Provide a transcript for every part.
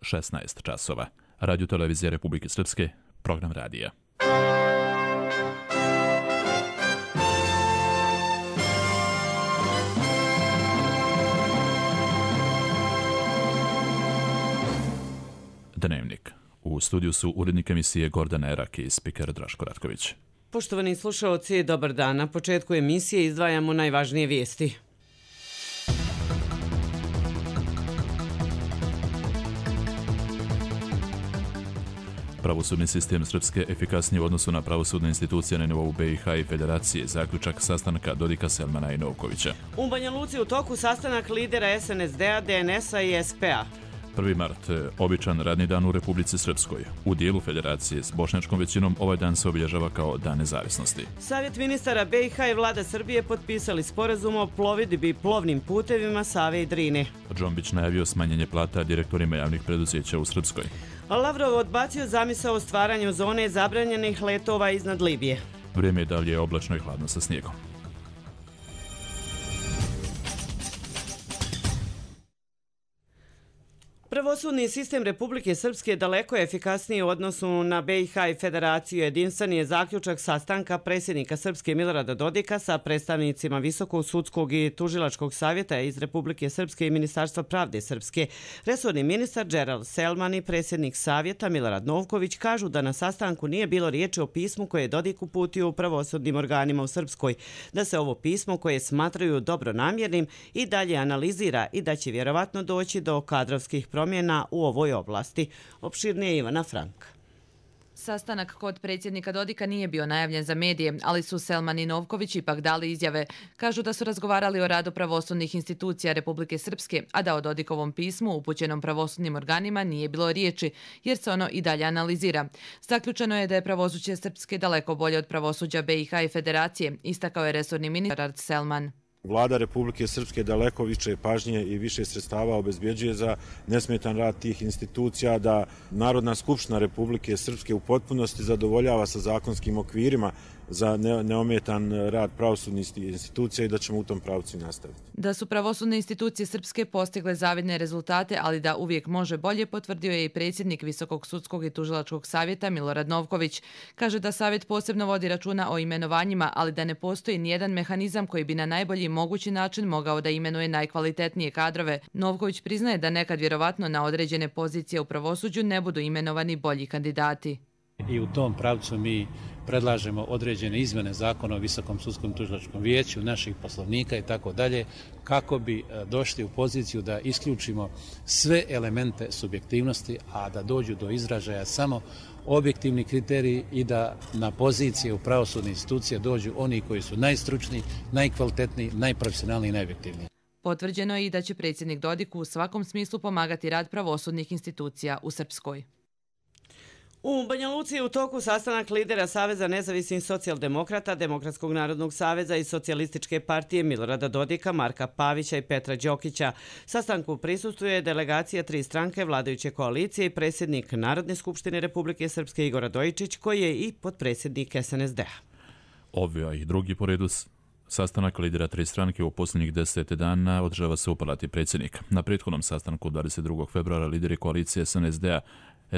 16 časova. Radio Televizija Republike Srpske, program radija. Dnevnik. U studiju su urednik emisije Gordana Erak i spiker Draško Ratković. Poštovani slušaoci, dobar dan. Na početku emisije izdvajamo najvažnije vijesti. Pravosudni sistem Srpske efikasniji u odnosu na pravosudne institucije na nivou BiH i Federacije, zaključak sastanka Dodika, Selmana i Novkovića. U Banja Luci u toku sastanak lidera SNSD-a, DNS-a i SP-a. 1. mart, običan radni dan u Republici Srpskoj. U dijelu Federacije s bošnjačkom većinom ovaj dan se obilježava kao Dan nezavisnosti. Savjet ministara BiH i vlada Srbije potpisali sporazum o plovidbi plovnim putevima Save i Drine. Džombić najavio smanjenje plata direktorima javnih preduzeća u Srpskoj. Lavrov odbacio zamisao o stvaranju zone zabranjenih letova iznad Libije. Vrijeme je dalje oblačno i hladno sa snijegom. Pravosudni sistem Republike Srpske daleko je efikasniji u odnosu na BiH i Federaciju. Jedinstven je zaključak sastanka predsjednika Srpske Milorada Dodika sa predstavnicima Visokog sudskog i tužilačkog savjeta iz Republike Srpske i Ministarstva pravde Srpske. Resorni ministar Gerald Selman i predsjednik savjeta Milorad Novković kažu da na sastanku nije bilo riječi o pismu koje je Dodik uputio u pravosudnim organima u Srpskoj, da se ovo pismo koje smatraju dobronamjernim i dalje analizira i da će vjerovatno doći do kadrovskih promjena u ovoj oblasti. Opširnije Ivana Frank. Sastanak kod predsjednika Dodika nije bio najavljen za medije, ali su Selman i Novković ipak dali izjave. Kažu da su razgovarali o radu pravosudnih institucija Republike Srpske, a da o Dodikovom pismu upućenom pravosudnim organima nije bilo riječi, jer se ono i dalje analizira. Zaključeno je da je pravosuđe Srpske daleko bolje od pravosuđa BiH i Federacije, istakao je resorni ministar Selman. Vlada Republike Srpske daleko više pažnje i više sredstava obezbjeđuje za nesmetan rad tih institucija, da Narodna skupština Republike Srpske u potpunosti zadovoljava sa zakonskim okvirima za neometan rad pravosudnih institucija i da ćemo u tom pravcu nastaviti. Da su pravosudne institucije Srpske postigle zavidne rezultate, ali da uvijek može bolje, potvrdio je i predsjednik Visokog sudskog i tužilačkog savjeta Milorad Novković. Kaže da savjet posebno vodi računa o imenovanjima, ali da ne postoji nijedan mehanizam koji bi na najbolji mogući način mogao da imenuje najkvalitetnije kadrove. Novković priznaje da nekad vjerovatno na određene pozicije u pravosuđu ne budu imenovani bolji kandidati. I u tom pravcu mi predlažemo određene izmjene zakona o Visokom sudskom tužilačkom vijeću, naših poslovnika i tako dalje, kako bi došli u poziciju da isključimo sve elemente subjektivnosti, a da dođu do izražaja samo objektivni kriteriji i da na pozicije u pravosudne institucije dođu oni koji su najstručniji, najkvalitetniji, najprofesionalniji i najobjektivniji. Potvrđeno je i da će predsjednik Dodik u svakom smislu pomagati rad pravosudnih institucija u Srpskoj. U Banja Luci je u toku sastanak lidera Saveza nezavisnih socijaldemokrata, Demokratskog narodnog saveza i Socijalističke partije Milorada Dodika, Marka Pavića i Petra Đokića. Sastanku prisustvuje delegacija 3 stranke vladajuće koalicije i predsjednik Narodne skupštine Republike Srpske Igor Radojičić, koji je i potpredsjednik SNSD-a. Ovaj drugi po redu sastanak lidera 3 stranke u posljednjih 10 dana održava se u palati predsjednika. Na prethodnom sastanku 22. februara lideri koalicije SNSD-a,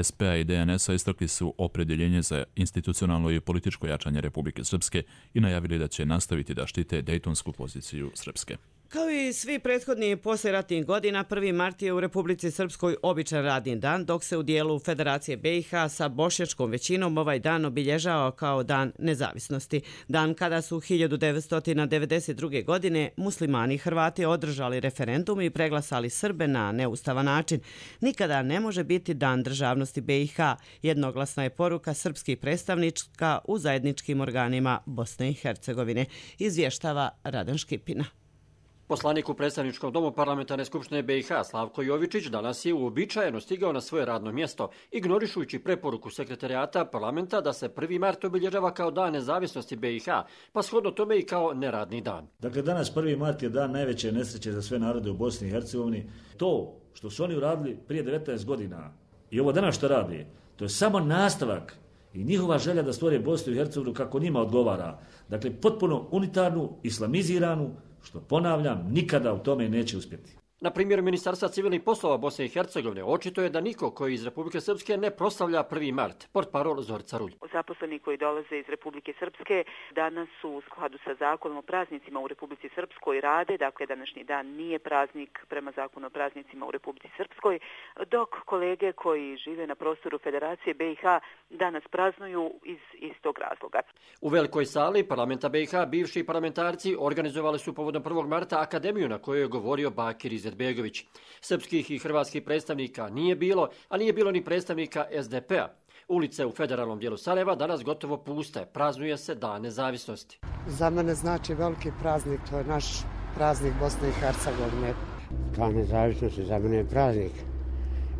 SP-a i DNS-a istakli su opredjeljenje za institucionalno i političko jačanje Republike Srpske i najavili da će nastaviti da štite dejtonsku poziciju Srpske. Kao i svi prethodni poslijeratnih godina, 1. mart je u Republici Srpskoj običan radni dan, dok se u dijelu Federacije BiH sa bošnjačkom većinom ovaj dan obilježava kao Dan nezavisnosti. Dan kada su 1992. godine muslimani Hrvati održali referendum i preglasali Srbe na neustavan način. Nikada ne može biti Dan državnosti BiH, jednoglasna je poruka srpskih predstavnička u zajedničkim organima Bosne i Hercegovine, izvještava Radan Škipina. Poslanik u predstavničkom domu parlamentarne skupštine BiH Slavko Jovičić danas je uobičajeno stigao na svoje radno mjesto, ignorišujući preporuku sekretarijata parlamenta da se 1. mart obilježava kao Dan nezavisnosti BiH, pa shodno tome i kao neradni dan. Dakle, danas 1. mart je dan najveće nesreće za sve narode u Bosni i Hercegovini. To što su oni uradili prije 19 godina i ovo danas što radi, to je samo nastavak i njihova želja da stvore Bosnu i Hercegovinu kako njima odgovara. Dakle, potpuno unitarnu, islamiziranu, što ponavljam, nikada u tome neće uspjeti. Na primjer Ministarstva civilnih poslova Bosne i Hercegovine očito je da niko koji iz Republike Srpske ne proslavlja 1. mart. Portparol Zorica Rulj. Zaposleni koji dolaze iz Republike Srpske danas su u skladu sa zakonom o praznicima u Republici Srpskoj rade, dakle današnji dan nije praznik prema zakonu o praznicima u Republici Srpskoj, dok kolege koji žive na prostoru Federacije BiH danas praznuju iz istog razloga. U velikoj sali parlamenta BiH bivši parlamentarci organizovali su povodom 1. marta akademiju na kojoj je govorio Bakir Izetbegović. Srpskih i hrvatskih predstavnika nije bilo, a nije bilo ni predstavnika SDP-a. Ulice u federalnom dijelu Sarajeva danas gotovo puste, praznuje se Dan nezavisnosti. Za mene znači veliki praznik, to je naš praznik Bosne i Hercegovine. Dan nezavisnosti za mene je praznik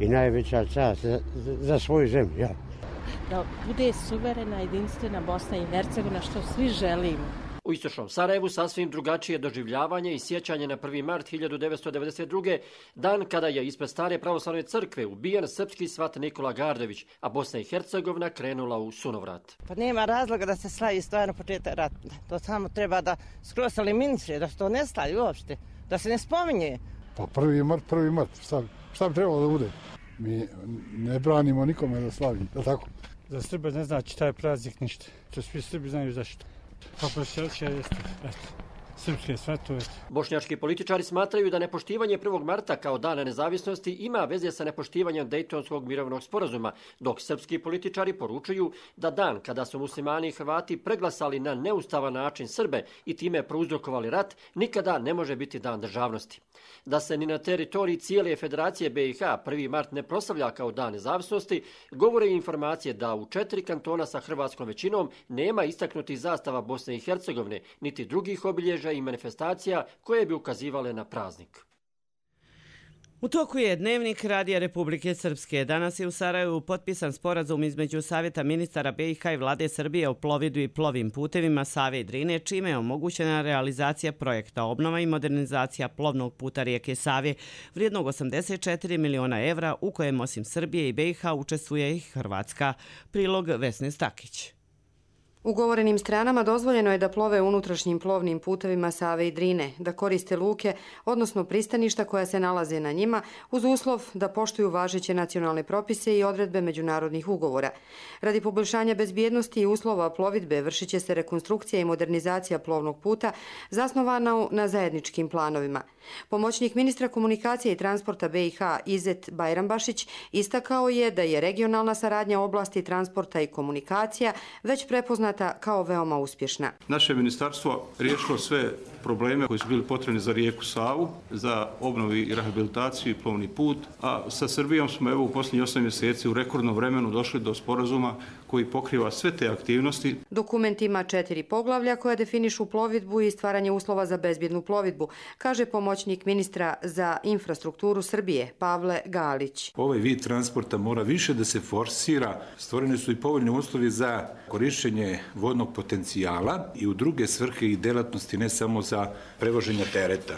i najveća čast za svoju zemlju. Ja. Da bude suverena, jedinstvena Bosna i Hercegovina, što svi želimo. U istočnom Sarajevu sasvim drugačije doživljavanje i sjećanje na 1. mart 1992. dan kada je ispred stare pravoslavne crkve ubijen srpski svat Nikola Gardović, a Bosna i Hercegovina krenula u sunovrat. Pa nema razloga da se slavi stvarno početak rata. To samo treba da skroz eliminira, da se to ne slavi uopšte, da se ne spominje. Pa 1. mart, šta bi trebalo da bude? Mi ne branimo nikome da slavi, da tako? Za Srbe ne znači taj praznik ništa. To svi Srbi znaju zašto. Pa prosjeća jeste, srpske svetove. Bošnjački političari smatraju da nepoštivanje 1. marta kao dana nezavisnosti ima veze sa nepoštivanjem Dejtonskog mirovnog sporazuma, dok srpski političari poručuju da dan kada su muslimani i Hrvati preglasali na neustavan način Srbe i time prouzrokovali rat, nikada ne može biti dan državnosti. Da se ni na teritoriji cijele Federacije BiH 1. mart ne proslavlja kao dan nezavisnosti, govore i informacije da u 4 kantona sa hrvatskom većinom nema istaknutih zastava Bosne i Hercegovine, niti drugih obilježja i manifestacija koje bi ukazivale na praznik. U toku je Dnevnik Radija Republike Srpske. Danas je u Sarajevu potpisan sporazum između Savjeta ministara BiH i Vlade Srbije o plovidbi i plovim putevima Save i Drine, čime je omogućena realizacija projekta obnova i modernizacija plovnog puta rijeke Save vrijednog 84 miliona evra, u kojem osim Srbije i BiH učestvuje i Hrvatska. Prilog Vesne Stakić. Ugovorenim stranama dozvoljeno je da plove unutrašnjim plovnim putevima Save i Drine, da koriste luke, odnosno pristaništa koja se nalaze na njima, uz uslov da poštuju važeće nacionalne propise i odredbe međunarodnih ugovora. Radi poboljšanja bezbjednosti i uslova plovidbe vršit će se rekonstrukcija i modernizacija plovnog puta zasnovana na zajedničkim planovima. Pomoćnik ministra komunikacije i transporta BiH Izet Bajrambašić istakao je da je regionalna saradnja u oblasti transporta i komunikacija već prepoznata kao veoma uspješna. Naše ministarstvo riješilo sve probleme koji su bili potrebni za rijeku Savu, za obnovu i rehabilitaciju i plovni put, a sa Srbijom smo u posljednjih 8 mjeseci u rekordnom vremenu došli do sporazuma koji pokriva sve te aktivnosti. Dokument ima 4 poglavlja koja definišu plovidbu i stvaranje uslova za bezbjednu plovidbu, kaže pomoćnik ministra za infrastrukturu Srbije Pavle Galić. Ovaj vid transporta mora više da se forsira. Stvoreni su i povoljni uslovi za korišćenje vodnog potencijala i u druge svrhe i delatnosti, ne samo za prevoženje tereta.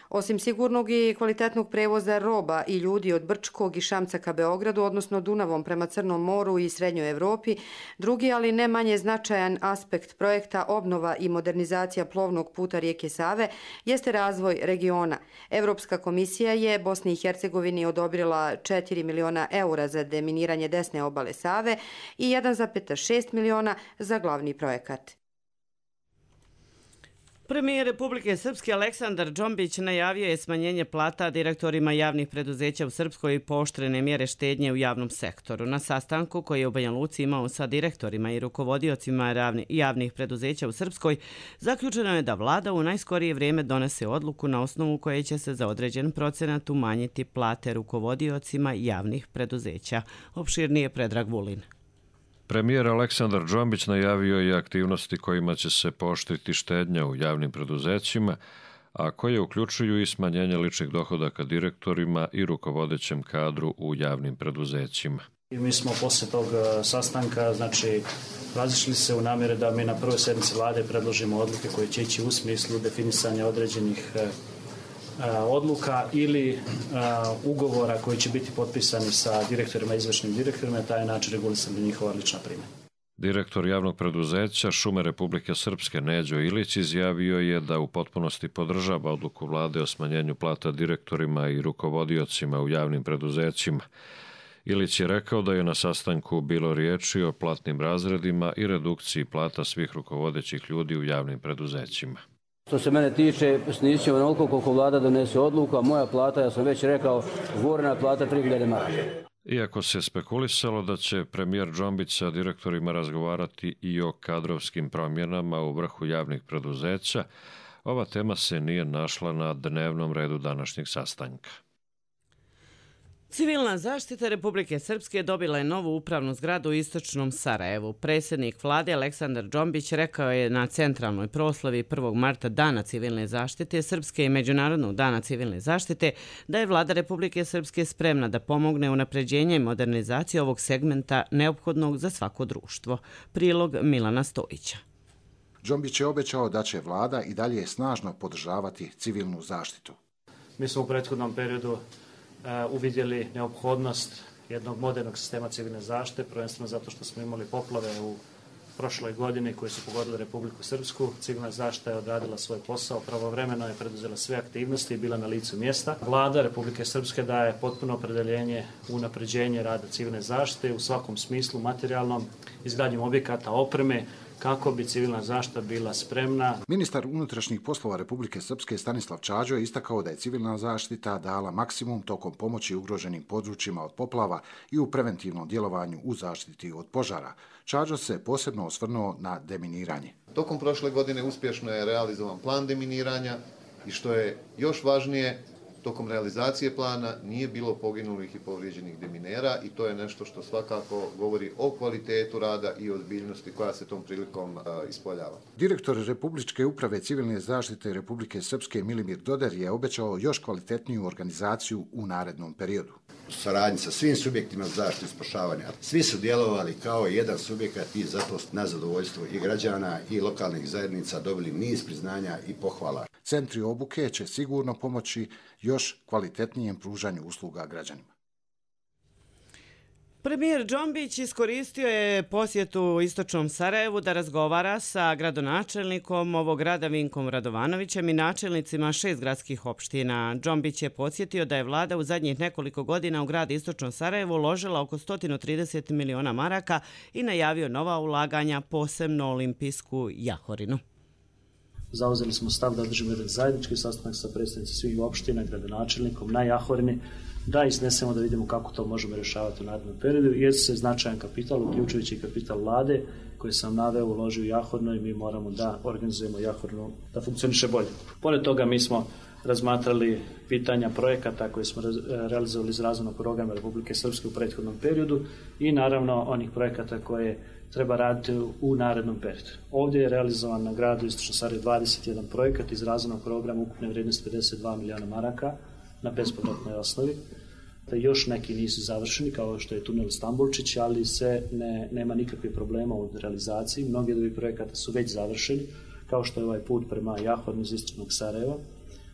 Osim sigurnog i kvalitetnog prevoza roba i ljudi od Brčkog i Šamca ka Beogradu, odnosno Dunavom prema Crnom moru i Srednjoj Evropi, drugi, ali ne manje značajan aspekt projekta obnova i modernizacija plovnog puta rijeke Save jeste razvoj regiona. Evropska komisija je Bosni i Hercegovini odobrila 4 miliona eura za deminiranje desne obale Save i 1,6 miliona za glavni projekat. Premijer Republike Srpske Aleksandar Džombić najavio je smanjenje plata direktorima javnih preduzeća u Srpskoj i pooštrene mjere štednje u javnom sektoru. Na sastanku koji je u Banja Luci imao sa direktorima i rukovodiocima javnih preduzeća u Srpskoj, zaključeno je da vlada u najskorije vrijeme donese odluku na osnovu koje će se za određen procenat umanjiti plate rukovodiocima javnih preduzeća. Opširnije Predrag Vulin. Premijer Aleksandar Džombić najavio je aktivnosti kojima će se pooštriti štednja u javnim preduzećima, a koje uključuju i smanjenje ličnih dohodaka direktorima i rukovodećem kadru u javnim preduzećima. Mi smo posle tog sastanka razišli se u namjere da mi na prvoj sjednici vlade predložimo odluke koje će ići u smislu definisanja određenih odluka ili ugovora koji će biti potpisani sa direktorima i izvršnim direktorima, na taj način regulisati njihova lična primanja. Direktor javnog preduzeća Šume Republike Srpske Neđo Ilić izjavio je da u potpunosti podržava odluku vlade o smanjenju plata direktorima i rukovodiocima u javnim preduzećima. Ilić je rekao da je na sastanku bilo riječi o platnim razredima i redukciji plata svih rukovodećih ljudi u javnim preduzećima. Što se mene tiče, snizit ćemo onoliko koliko vlada donese odluku, a moja plata, ja sam već rekao, ugovorena plata 3.000 maraka. Iako se spekulisalo da će premijer Džombić sa direktorima razgovarati i o kadrovskim promjenama u vrhu javnih preduzeća, ova tema se nije našla na dnevnom redu današnjeg sastanka. Civilna zaštita Republike Srpske dobila je novu upravnu zgradu u istočnom Sarajevu. Predsjednik vlade Aleksandar Džombić rekao je na centralnoj proslavi 1. marta Dana civilne zaštite Srpske i Međunarodnog dana civilne zaštite da je vlada Republike Srpske spremna da pomogne unapređenje i modernizaciji ovog segmenta neophodnog za svako društvo. Prilog Milana Stojića. Džombić je obećao da će vlada i dalje snažno podržavati civilnu zaštitu. Mi smo u prethodnom periodu uvidjeli neophodnost jednog modernog sistema civilne zaštite, prvenstveno zato što smo imali poplave u prošloj godini koje su pogodile Republiku Srpsku. Civilna zaštita je odradila svoj posao, pravovremeno je preduzela sve aktivnosti i bila na licu mjesta. Vlada Republike Srpske daje potpuno opredeljenje u unapređenje rada civilne zaštite u svakom smislu, materijalnom, izgradnjom objekata, opreme, kako bi civilna zaštita bila spremna. Ministar unutrašnjih poslova Republike Srpske Stanislav Čađo je istakao da je civilna zaštita dala maksimum tokom pomoći ugroženim područjima od poplava i u preventivnom djelovanju u zaštiti od požara. Čađo se posebno osvrnuo na deminiranje. Tokom prošle godine uspješno je realizovan plan deminiranja i što je još važnije, tokom realizacije plana nije bilo poginulih i povrijeđenih deminera i to je nešto što svakako govori o kvalitetu rada i ozbiljnosti koja se tom prilikom ispoljava. Direktor Republičke uprave civilne zaštite Republike Srpske Milimir Doder je obećao još kvalitetniju organizaciju u narednom periodu. U saradnji sa svim subjektima zaštite i spašavanja, svi su djelovali kao jedan subjekat i zato na zadovoljstvo i građana i lokalnih zajednica dobili niz priznanja i pohvala. Centri obuke će sigurno pomoći još kvalitetnijem pružanju usluga građanima. Premijer Džombić iskoristio je posjetu istočnom Sarajevu da razgovara sa gradonačelnikom ovog grada Vinkom Radovanovićem i načelnicima 6 gradskih opština. Džombić je podsjetio da je vlada u zadnjih nekoliko godina u grad istočno Sarajevo uložila oko 130 miliona maraka i najavio nova ulaganja, posebno olimpijsku Jahorinu. Zauzeli smo stav da održimo jedan zajednički sastanak sa predstavnicima svih opština, gradonačelnikom na Jahorini, da iznesemo da vidimo kako to možemo rješavati u narednom periodu, jer se značajan kapital, uključujući kapital vlade, koji sam naveo, uloži u Jahorinu i mi moramo da organizujemo Jahorinu da funkcioniše bolje. Pored toga mi smo razmatrali pitanja projekata koje smo realizovali iz razvojnog programa Republike Srpske u prethodnom periodu i naravno onih projekata koje treba raditi u narednom periodu. Ovdje je realizovan na gradu Istočno Sarajevo 21 projekat iz razvojnog programa ukupne vrijednosti 52 miliona maraka na bespovratnoj osnovi. Još neki nisu završeni, kao što je tunel Stambulčić, ali nema nikakvih problema u realizaciji. Mnogi od ovih projekata su već završeni, kao što je ovaj put prema Jahornu iz Istočnog Sarajeva.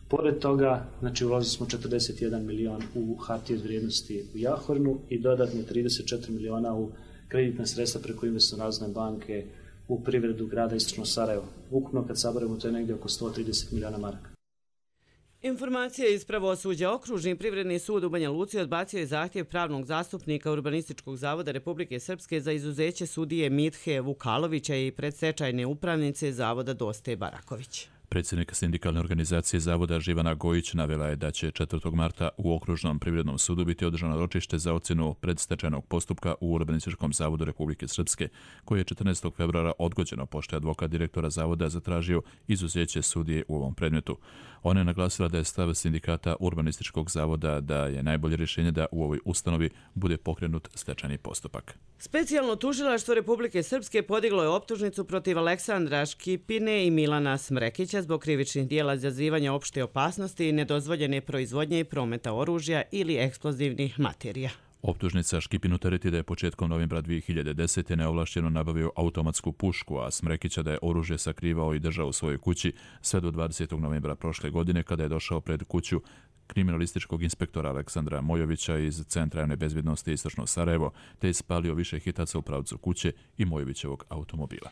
Pored toga, uložili smo 41 milion u hartije od vrijednosti u Jahornu i dodatne 34 miliona u kreditna sredstva preko Investicione razvojne banke u privredu grada Istočno Sarajevo. Ukupno kad saberemo to je negdje oko 130 miliona maraka. Informacije iz pravosuđa. Okružni privredni sud u Banja Luci odbacio je zahtjev pravnog zastupnika Urbanističkog zavoda Republike Srpske za izuzeće sudije Mithe Vukalovića i predstečajne upravnice zavoda Doste Baraković. Predsjednik sindikalne organizacije zavoda Živana Gojić navela je da će 4. marta u Okružnom privrednom sudu biti održano ročište za ocjenu predstečajnog postupka u Urbanističkom zavodu Republike Srpske, koji je 14. februara odgođeno pošto je advokat direktora zavoda zatražio izuzeće sudije u ovom predmetu. Ona je naglasila da je stav sindikata Urbanističkog zavoda da je najbolje rješenje da u ovoj ustanovi bude pokrenut stečajni postupak. Specijalno tužilaštvo Republike Srpske podiglo je optužnicu protiv Aleksandra Škipine i Milana Smrekića zbog krivičnih dijela izazivanja opšte opasnosti i nedozvoljene proizvodnje i prometa oružja ili eksplozivnih materija. Optužnica Škipinu tereti da je početkom novembra 2010. neovlašteno nabavio automatsku pušku, a Smrekića da je oružje sakrivao i držao u svojoj kući sve do 20. novembra prošle godine kada je došao pred kuću kriminalističkog inspektora Aleksandra Mojovića iz Centra javne bezbjednosti Istočno Sarajevo, te je spalio više hitaca u pravcu kuće i Mojovićevog automobila.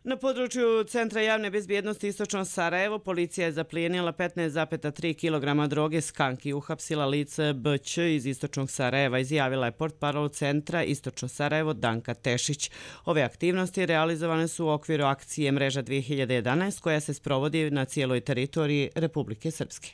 Na području Centra javne bezbjednosti Istočno Sarajevo policija je zaplijenila 15,3 kg droge skank i uhapsila lice BČ iz Istočnog Sarajeva, izjavila je portparol Centra Istočno Sarajevo Danka Tešić. Ove aktivnosti realizovane su u okviru akcije Mreža 2011 koja se sprovodi na cijeloj teritoriji Republike Srpske.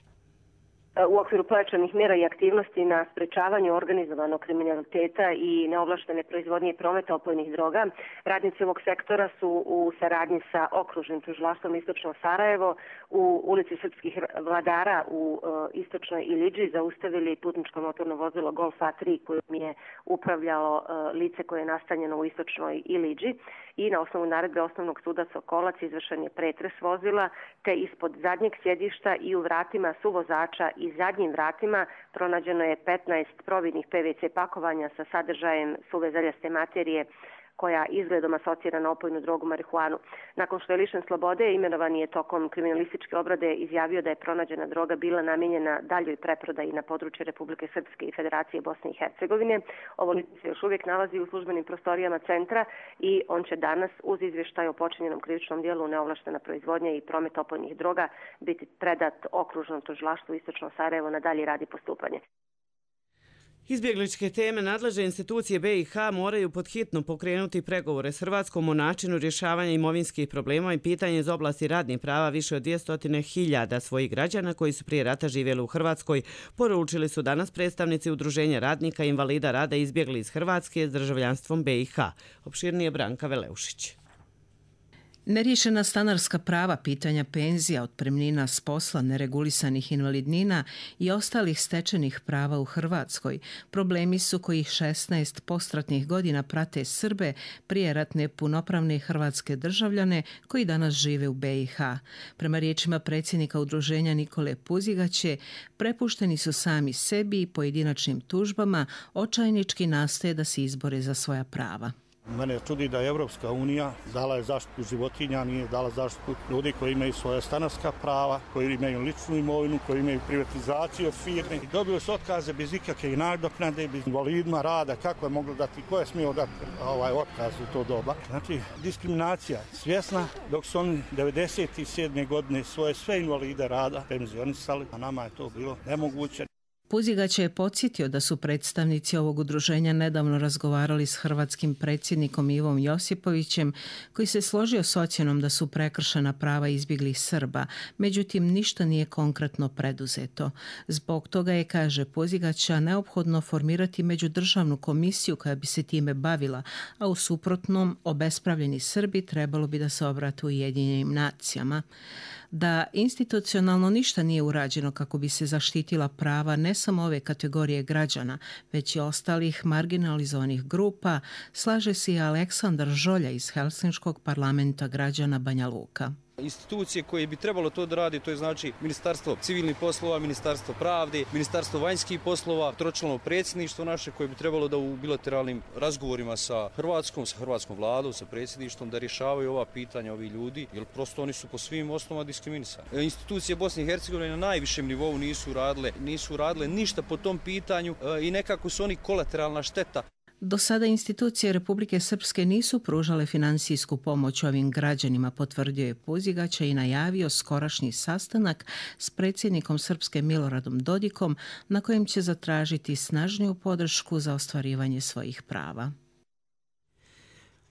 U okviru pojačanih mjera i aktivnosti na sprečavanju organizovanog kriminaliteta i neovlaštene proizvodnje i prometa opojnih droga, radnici ovog sektora su u saradnji sa okružnim tužilaštvom Istočno Sarajevo u ulici Srpskih vladara u Istočnoj Ilidži zaustavili putničko motorno vozilo Golf A3 kojim je upravljalo lice koje je nastanjeno u Istočnoj Ilidži i na osnovu naredbe Osnovnog suda Sokolac izvršen je pretres vozila, te ispod zadnjeg sjedišta i u vratima suvozača i zadnjim vratima pronađeno je 15 providnih PVC pakovanja sa sadržajem suve zeljaste materije koja izgledom asocira na opojnu drogu marihuanu. Nakon što je lišen slobode, imenovan je tokom kriminalističke obrade izjavio da je pronađena droga bila namijenjena daljoj preprodaji na području Republike Srpske i Federacije Bosne i Hercegovine. Ovo lice se još uvijek nalazi u službenim prostorijama centra i on će danas uz izvještaj o počinjenom krivičnom dijelu neovlaštena proizvodnja i promet opojnih droga biti predat okružnom tužilaštvu Istočno Sarajevo na dalji rad i postupanje. Izbjegličke teme nadležne institucije BiH moraju podhitno pokrenuti pregovore s Hrvatskom o načinu rješavanja imovinskih problema i pitanja iz oblasti radnih prava više od 200.000 svojih građana koji su prije rata živjeli u Hrvatskoj, poručili su danas predstavnici Udruženja radnika i invalida rada izbjegli iz Hrvatske s državljanstvom BiH. Opširnije Branka Veleušić. Neriješena stanarska prava, pitanja penzija, otpremnina s posla, neregulisanih invalidnina i ostalih stečenih prava u Hrvatskoj problemi su koji 16 postratnih godina prate Srbe, prijeratne punopravne hrvatske državljane koji danas žive u BiH. Prema riječima predsjednika Udruženja Nikole Puzigaće, prepušteni su sami sebi i pojedinačnim tužbama, očajnički nastoje da se izbore za svoja prava. Mene čudi da je Evropska unija dala je zaštitu životinja, nije dala zaštitu ljudi koji imaju svoje stanarska prava, koji imaju ličnu imovinu, koji imaju privatizaciju od firme. Dobili su otkaze bez ikakve nadoknade, bez invalidima rada, kako je moglo dati, ko je smio dati otkaz u to doba. Znači, diskriminacija svjesna, dok su oni 97. godine svoje sve invalide rada penzionisali, a nama je to bilo nemoguće. Puzigać je podsjetio da su predstavnici ovog udruženja nedavno razgovarali s hrvatskim predsjednikom Ivom Josipovićem, koji se složio s ocjenom da su prekršena prava izbjeglih Srba, međutim ništa nije konkretno preduzeto. Zbog toga je, kaže Puzigaća, neophodno formirati međudržavnu komisiju koja bi se time bavila, a u suprotnom obespravljeni Srbi trebalo bi da se obrate Ujedinjenim nacijama. Da institucionalno ništa nije urađeno kako bi se zaštitila prava ne samo ove kategorije građana, već i ostalih marginalizovanih grupa, slaže se i Aleksandar Žolja iz Helsinškog parlamenta građana Banja Luka. Institucije koje bi trebalo to da radi, to je znači Ministarstvo civilnih poslova, Ministarstvo pravde, Ministarstvo vanjskih poslova, tročlano predsjedništvo naše koje bi trebalo da u bilateralnim razgovorima sa hrvatskom vladom, sa predsjedništvom da rješavaju ova pitanja ovi ljudi, jer prosto oni su po svim osnovama diskriminisani. Institucije Bosne i Hercegovine na najvišem nivou nisu radile ništa po tom pitanju i nekako su oni kolateralna šteta. Do sada institucije Republike Srpske nisu pružale financijsku pomoć ovim građanima, potvrdio je Puzigaća i najavio skorašnji sastanak s predsjednikom Srpske Miloradom Dodikom na kojem će zatražiti snažniju podršku za ostvarivanje svojih prava.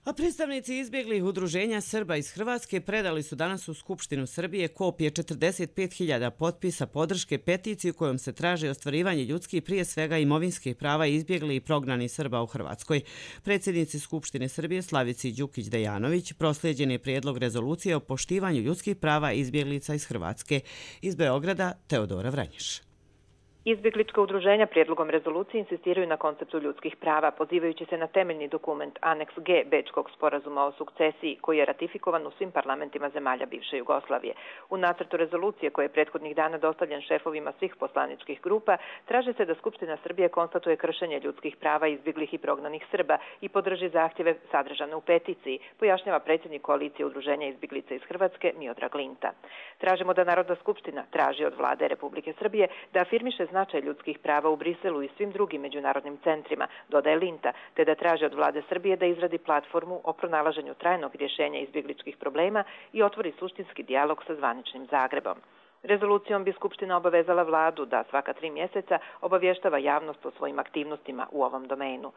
A predstavnici izbjeglih udruženja Srba iz Hrvatske predali su danas u Skupštinu Srbije kopije 45.000 potpisa podrške peticiju kojom se traži ostvarivanje ljudskih, prije svega imovinskih prava izbjegli i prognani Srba u Hrvatskoj. Predsjednici Skupštine Srbije Slavici Đukić-Dejanović proslijeđen je prijedlog rezolucije o poštivanju ljudskih prava izbjeglica iz Hrvatske. Iz Beograda Teodora Vranješ. Izbjeglička udruženja prijedlogom rezolucije insistiraju na konceptu ljudskih prava, pozivajući se na temeljni dokument Aneks G Bečkog sporazuma o sukcesiji, koji je ratifikovan u svim parlamentima zemalja bivše Jugoslavije. U nacrtu rezolucije, koji je prethodnih dana dostavljen šefovima svih poslaničkih grupa, traži se da Skupština Srbije konstatuje kršenje ljudskih prava izbjeglih i prognanih Srba i podrži zahtjeve sadržane u peticiji, pojašnjava predsjednik koalicije udruženja izbjeglica iz Hrvatske Miodrag Linta. Tražimo da Narodna skupština traži od vlade Republike Srbije da afirmiše značaj ljudskih prava u Briselu i svim drugim međunarodnim centrima, dodaje Linta, te da traže od vlade Srbije da izradi platformu o pronalaženju trajnog rješenja izbjegličkih problema i otvori suštinski dijalog sa zvaničnim Zagrebom. Rezolucijom bi Skupština obavezala vladu da svaka 3 mjeseca obavještava javnost o svojim aktivnostima u ovom domenu.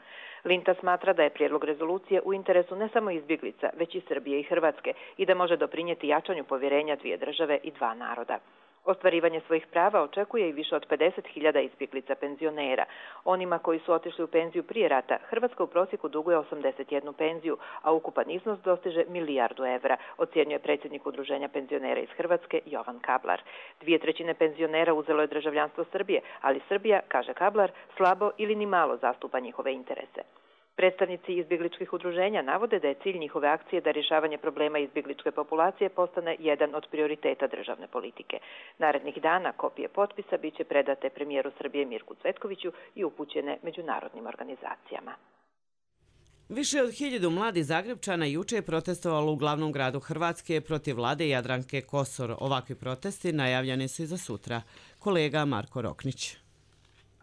Linta smatra da je prijedlog rezolucije u interesu ne samo izbjeglica, već i Srbije i Hrvatske i da može doprinijeti jačanju povjerenja 2 države i 2 naroda. Ostvarivanje svojih prava očekuje i više od 50.000 izbjeglica penzionera. Onima koji su otišli u penziju prije rata, Hrvatska u prosjeku duguje 81 penziju, a ukupan iznos dostiže milijardu evra, ocjenjuje predsjednik Udruženja penzionera iz Hrvatske Jovan Kablar. 2/3 penzionera uzelo je državljanstvo Srbije, ali Srbija, kaže Kablar, slabo ili ni malo zastupa njihove interese. Predstavnici izbjegličkih udruženja navode da je cilj njihove akcije da rješavanje problema izbjegličke populacije postane jedan od prioriteta državne politike. Narednih dana kopije potpisa bit će predate premijeru Srbije Mirku Cvetkoviću i upućene međunarodnim organizacijama. Više od 1000 mladih Zagrebčana juče je protestovalo u glavnom gradu Hrvatske protiv vlade Jadranke Kosor. Ovakvi protesti najavljeni su i za sutra. Kolega Marko Roknić.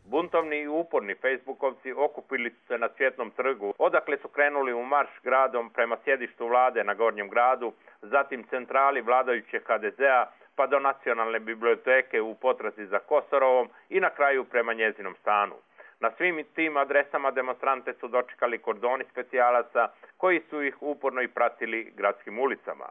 Buntovni i uporni Facebookovci okupili su se na Cvjetnom trgu, odakle su krenuli u marš gradom prema sjedištu vlade na Gornjem gradu, zatim centrali vladajućeg HDZ-a, pa do Nacionalne biblioteke u potrazi za Kosorovom i na kraju prema njezinom stanu. Na svim tim adresama demonstrante su dočekali kordoni specijalaca koji su ih uporno i pratili gradskim ulicama.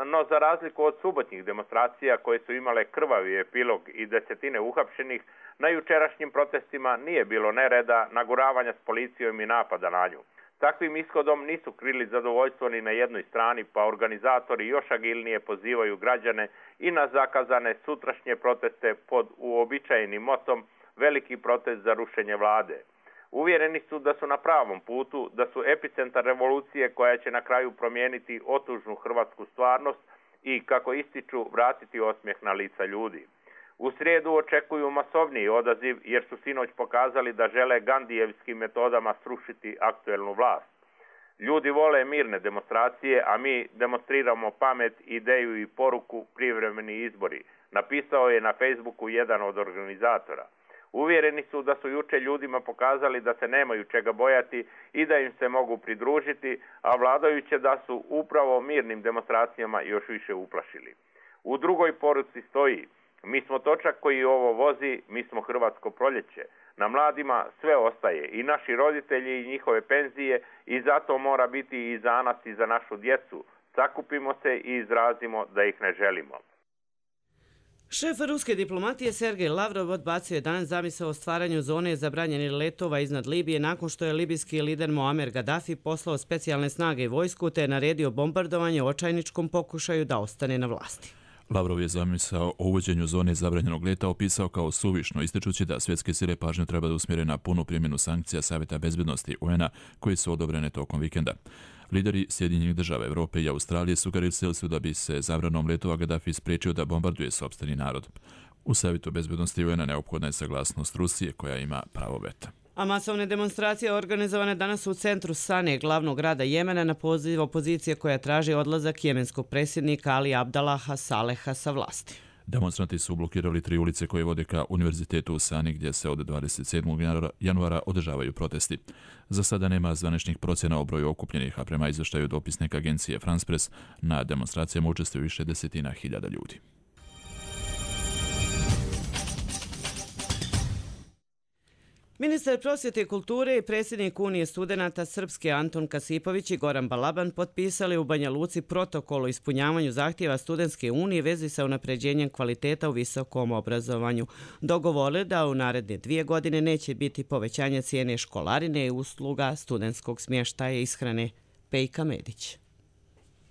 No za razliku od subotnjih demonstracija koje su imale krvavi epilog i desetine uhapšenih, na jučerašnjim protestima nije bilo nereda, naguravanja s policijom i napada na nju. Takvim ishodom nisu krili zadovoljstvo ni na jednoj strani, pa organizatori još agilnije pozivaju građane i na zakazane sutrašnje proteste pod uobičajenim motom veliki protest za rušenje vlade. Uvjereni su da su na pravom putu, da su epicentar revolucije koja će na kraju promijeniti otužnu hrvatsku stvarnost i, kako ističu, vratiti osmijeh na lica ljudi. U srijedu očekuju masovniji odaziv jer su sinoć pokazali da žele gandijevskim metodama srušiti aktuelnu vlast. Ljudi vole mirne demonstracije, a mi demonstriramo pamet, ideju i poruku privremeni izbori, napisao je na Facebooku jedan od organizatora. Uvjereni su da su juče ljudima pokazali da se nemaju čega bojati i da im se mogu pridružiti, a vladajuće da su upravo mirnim demonstracijama još više uplašili. U drugoj poruci stoji: mi smo točak koji ovo vozi, mi smo hrvatsko proljeće. Na mladima sve ostaje, i naši roditelji i njihove penzije, i zato mora biti i za nas i za našu djecu. Sakupimo se i izrazimo da ih ne želimo. Šef ruske diplomatije Sergej Lavrov odbacio je danas zamisao o stvaranju zone zabranjenih letova iznad Libije nakon što je libijski lider Muamer Gaddafi poslao specijalne snage i vojsku te naredio bombardovanje očajničkom pokušaju da ostane na vlasti. Lavrov je zamisao o uvođenju zone zabranjenog leta opisao kao suvišno, ističući da svjetske sile pažnju treba da usmjere na punu primjenu sankcija Savjeta bezbednosti UN-a koji su odobrene tokom vikenda. Lideri Sjedinjenih država, Europe i Australije sugerisali su da bi se zabranom letova Gaddafi spriječio da bombarduje sopstveni narod. U Savjetu bezbednosti UN-a neophodna je saglasnost Rusije koja ima pravo veta. A masovne demonstracije organizovane danas u centru Sane, glavnog grada Jemena, na poziv opozicije koja traži odlazak jemenskog predsjednika Ali Abdallaha Saleha sa vlasti. Demonstranti su blokirali 3 ulice koje vode ka univerzitetu u Sani gdje se od 27. januara održavaju protesti. Za sada nema zvaničnih procjena o broju okupljenih, a prema izvještaju dopisnika agencije France Press na demonstracijama učestvuju više desetina hiljada ljudi. Ministar prosvjete i kulture i predsjednik Unije studenata Srpske Anton Kasipović i Goran Balaban potpisali u Banja Luci protokol o ispunjavanju zahtjeva Studentske unije vezi sa unapređenjem kvaliteta u visokom obrazovanju. Dogovorili da u naredne 2 godine neće biti povećanja cijene školarine i usluga studentskog smještaja i ishrane. Pejka Medić.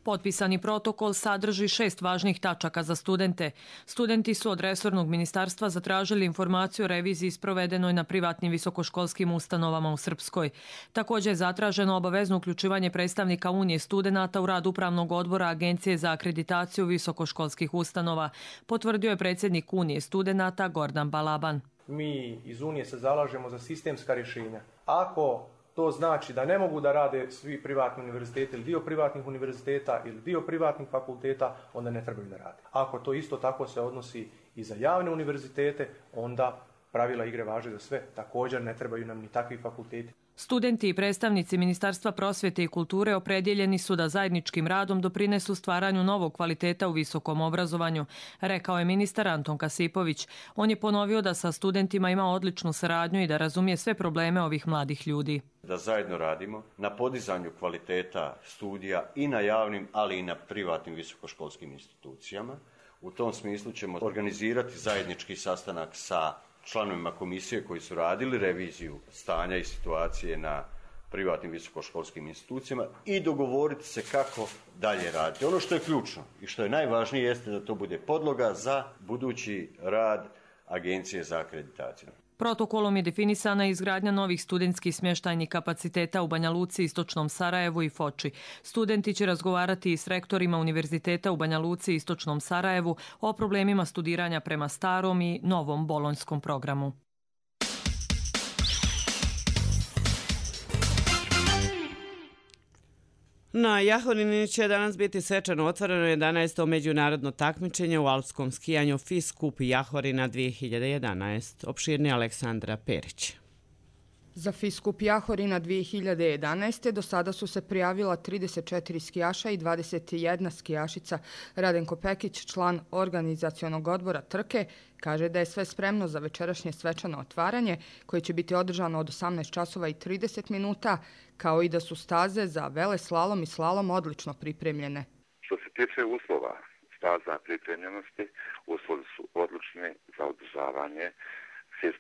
Potpisani protokol sadrži 6 važnih tačaka za studente. Studenti su od resornog ministarstva zatražili informaciju o reviziji sprovedenoj na privatnim visokoškolskim ustanovama u Srpskoj. Također je zatraženo obavezno uključivanje predstavnika Unije studenata u rad Upravnog odbora Agencije za akreditaciju visokoškolskih ustanova, potvrdio je predsjednik Unije studenata Gordan Balaban. Mi iz Unije se zalažemo za sistemska rješenja. Ako to znači da ne mogu da rade svi privatni univerziteti ili dio privatnih univerziteta ili dio privatnih fakulteta, onda ne trebaju da rade. Ako to isto tako se odnosi i za javne univerzitete, onda pravila igre važe za sve. Također ne trebaju nam ni takvi fakulteti. Studenti i predstavnici Ministarstva prosvjete i kulture opredjeljeni su da zajedničkim radom doprinesu stvaranju novog kvaliteta u visokom obrazovanju, rekao je ministar Anton Kasipović. On je ponovio da sa studentima ima odličnu saradnju i da razumije sve probleme ovih mladih ljudi. Da zajedno radimo na podizanju kvaliteta studija i na javnim, ali i na privatnim visokoškolskim institucijama. U tom smislu ćemo organizirati zajednički sastanak sa članovima komisije koji su radili reviziju stanja i situacije na privatnim visokoškolskim institucijama i dogovoriti se kako dalje raditi. Ono što je ključno i što je najvažnije jeste da to bude podloga za budući rad Agencije za akreditaciju. Protokolom je definisana izgradnja novih studentskih smještajnih kapaciteta u Banja Luci, Istočnom Sarajevu i Foči. Studenti će razgovarati i s rektorima univerziteta u Banja Luci i Istočnom Sarajevu o problemima studiranja prema starom i novom bolonjskom programu. Na Jahorini će danas biti svečano otvoreno 11. međunarodno takmičenje u alpskom skijanju FIS Skup Jahorina 2011. Opširni Aleksandra Perić. Za FIS Skup Jahorina 2011. do sada su se prijavila 34 skijaša i 21 skijašica. Radenko Pekić, član organizacionog odbora trke, kaže da je sve spremno za večerašnje svečano otvaranje koje će biti održano od 18 časova i 30 minuta, kao i da su staze za veleslalom i slalom odlično pripremljene. Što se tiče uslova staza pripremljenosti, uslovi su odlični za održavanje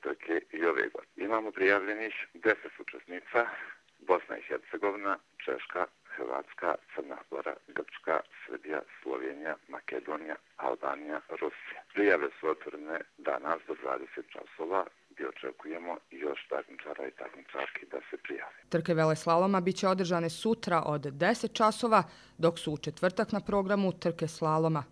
trke i ove godine. Imamo prijavljenih 10 učesnica: Bosna i Hercegovina, Češka, Hrvatska, Crna Gora, Grčka, Srbija, Slovenija, Makedonija, Albanija, Rusija. Prijave su otvorene danas do 20 časova gdje očekujemo još takmičara i takmičarki da se prijave. Trke veleslaloma biće održane sutra od 10 časova, dok su u četvrtak na programu trke slaloma.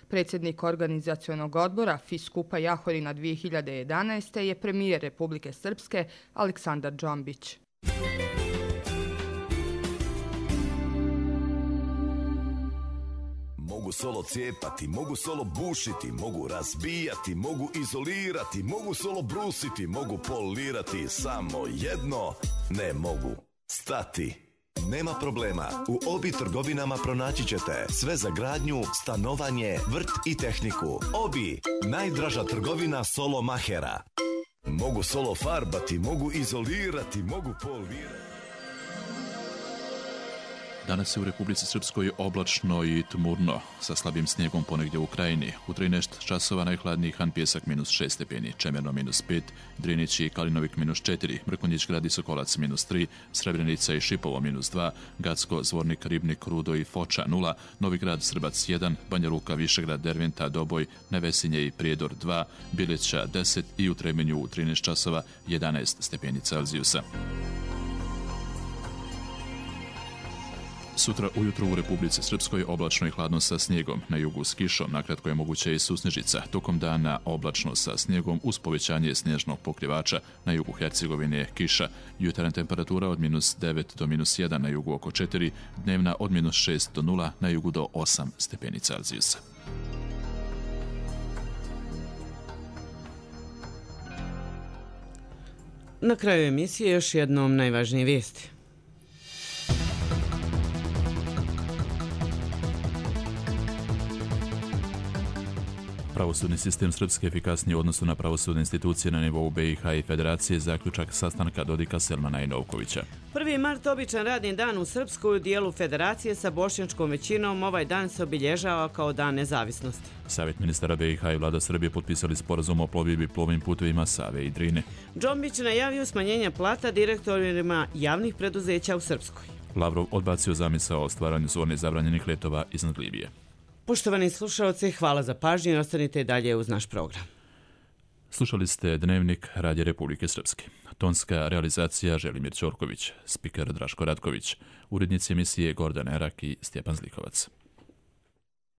Predsjednik organizacionog odbora FIS Skupa Jahorina 2011. je premijer Republike Srpske Aleksandar Džombić. Mogu solo cijepati, mogu solo bušiti, mogu razbijati, mogu izolirati, mogu solo brusiti, mogu polirati, samo jedno ne mogu stati. Nema problema, u Obi trgovinama pronaći ćete sve za gradnju, stanovanje, vrt i tehniku. Obi, najdraža trgovina solo mahera. Mogu solo farbati, mogu izolirati, mogu polirati. Danas je u Republici Srpskoj oblačno i tmurno, sa slabim snijegom ponegdje u Krajini. U 13 časova najhladniji Han Pjesak -6 stepeni, Čemerno -5, Drinić i Kalinovik -4, Mrkonjić grad i Sokolac -3, Srebrenica i Šipovo -2, Gacko, Zvornik, Ribnik, Rudo i Foča 0, Novi grad Srbac 1, Banja Luka, Višegrad, Derventa, Doboj, Nevesinje i Prijedor 2, Bileća 10 i u Tremenju u 13 časova 11 stepeni Celzijusa. Sutra ujutro u Republici Srpskoj oblačno i hladno sa snijegom, na jugu s kišom, nakratko je moguće i susnežica. Tokom dana oblačno sa snijegom uz povećanje snježnog pokrivača, na jugu Hercegovine kiša, jutarnja temperatura od -9 do -1, na jugu oko 4, dnevna od -6 do 0, na jugu do 8 stepeni Celzijusa. Na kraju emisije još jednom najvažnije vijesti. Pravosudni sistem Srpske efikasniji u odnosu na pravosudne institucije na nivou BiH i Federacije, zaključak sastanka Dodika, Selmana i Novkovića. 1. mart običan radni dan u Srpskoj, u dijelu Federacije sa bošnjačkom većinom. Ovaj dan se obilježava kao dan nezavisnosti. Savjet ministara BiH i vlada Srbije potpisali sporazum o plovidbi plovnim putevima Save i Drine. Džombić najavio smanjenje plata direktorima javnih preduzeća u Srpskoj. Lavrov odbacio zamisao o stvaranju zone zabranjenih letova iznad Libije. Poštovani slušalci, hvala za pažnju i ostanite i dalje uz naš program. Slušali ste Dnevnik Radija Republike Srpske. Tonska realizacija Želimir Ćorković, spiker Draško Ratković, urednici emisije Gordana Erak i Stjepan Zlikovac.